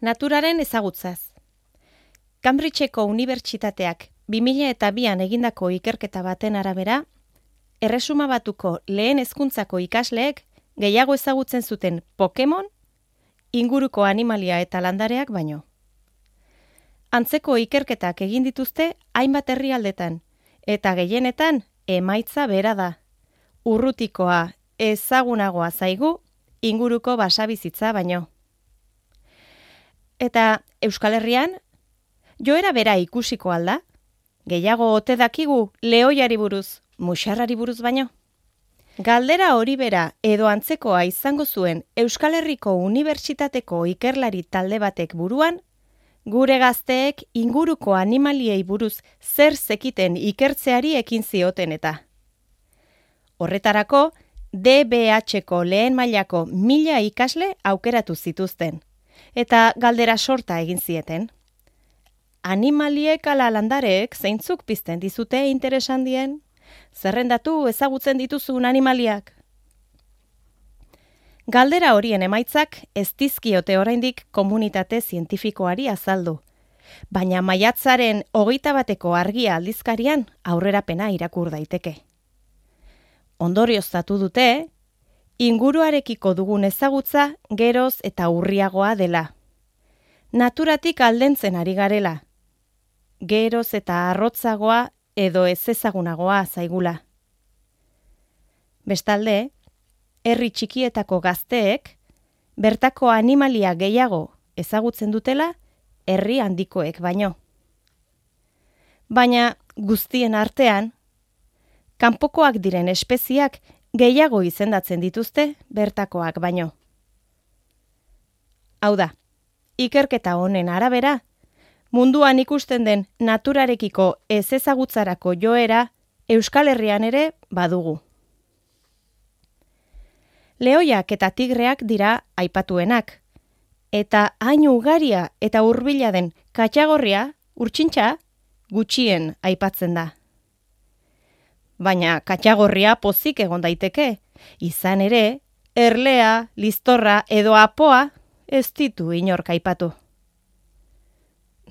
Naturaren ezagutzaz. Cambridgeko Unibertsitateak 2002an egindako ikerketa baten arabera, Erresuma Batuko lehen hezkuntzako ikasleek gehiago ezagutzen zuten Pokemon, inguruko animalia eta landareak baino. Antzeko ikerketak egin dituzte hainbat herrialdetan, eta gehienetan emaitza bera da. Urrutikoa ezagunagoa zaigu inguruko basabizitza baino. Eta Euskal Herrian, joera bera ikusiko alda? Gehiago ote dakigu lehoiari buruz, muxarrari buruz baino? Galdera hori bera edo antzekoa izango zuen Euskal Herriko Unibertsitateko ikerlari talde batek buruan, gure gazteek inguruko animaliei buruz zer zekiten ikertzeari ekin zioten eta. Horretarako, DBH-ko lehen mailako 1000 ikasle aukeratu zituzten, eta galdera sorta egin zieten. Animaliek ala landareek zeintzuk pizten dizute interes handien? Zerrendatu ezagutzen dituzun animaliak? Galdera horien emaitzak ez dizkiote oraindik komunitate zientifikoari azaldu, baina maiatzaren 21ko Argia aldizkarian aurrerapena irakur daiteke. Ondorioztatu dute, inguruarekiko dugun ezagutza geroz eta urriagoa dela. Naturatik aldentzen ari garela. Geroz eta arrotzagoa edo ez ezagunagoa zaigula. Bestalde, herri txikietako gazteek, bertako animalia gehiago ezagutzen dutela, herri handikoek baino. Baina guztien artean, kanpokoak diren espeziak gehiago izendatzen dituzte bertakoak baino. Hau da, ikerketa honen arabera, munduan ikusten den naturarekiko ez ezagutzarako joera Euskal Herrian ere badugu. Lehoiak eta tigreak dira aipatuenak, eta hain ugaria eta hurbila den katxagorria, urtsintxa, gutxien aipatzen da. Baina katxagorria pozik egon daiteke, izan ere, erlea, listorra edo apoa ez ditu inork aipatu.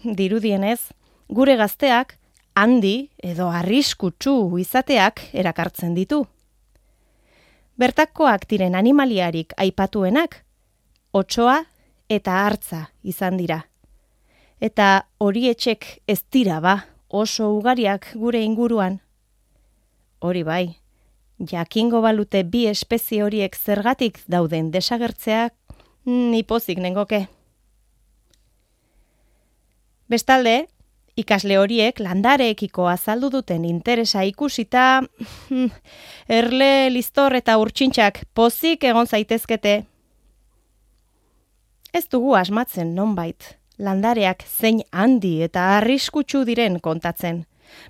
Dirudienez, gure gazteak handi edo arriskutsu izateak erakartzen ditu. Bertakoak diren animaliarik aipatuenak, otsoa eta hartza izan dira. Eta horietxek ez dira ba, oso ugariak gure inguruan. Hori bai, jakingo balute bi espezie horiek zergatik dauden desagertzeak, nipozik nengoke. Bestalde, ikasle horiek landareekiko azaldu duten interesa ikusita, erle, listor eta urtsintxak pozik egon zaitezkete. Ez dugu asmatzen nonbait, landareak zein handi eta arriskutsu diren kontatzen.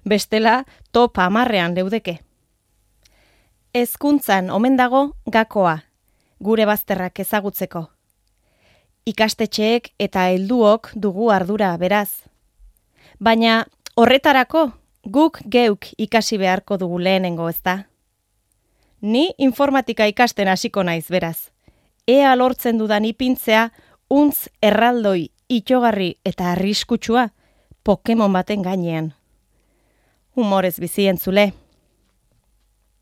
Bestela, top 10ean leudeke. Hezkuntzan omen dago gakoa, gure bazterrak ezagutzeko. Ikastetxeek eta helduok dugu ardura beraz. Baina horretarako guk geuk ikasi beharko dugu lehenengo ezta. Ni informatika ikasten hasiko naiz beraz. Ea lortzen dudan ipintzea untz erraldoi itxogarri eta arriskutsua Pokemon baten gainean. Humorez bizi entzule.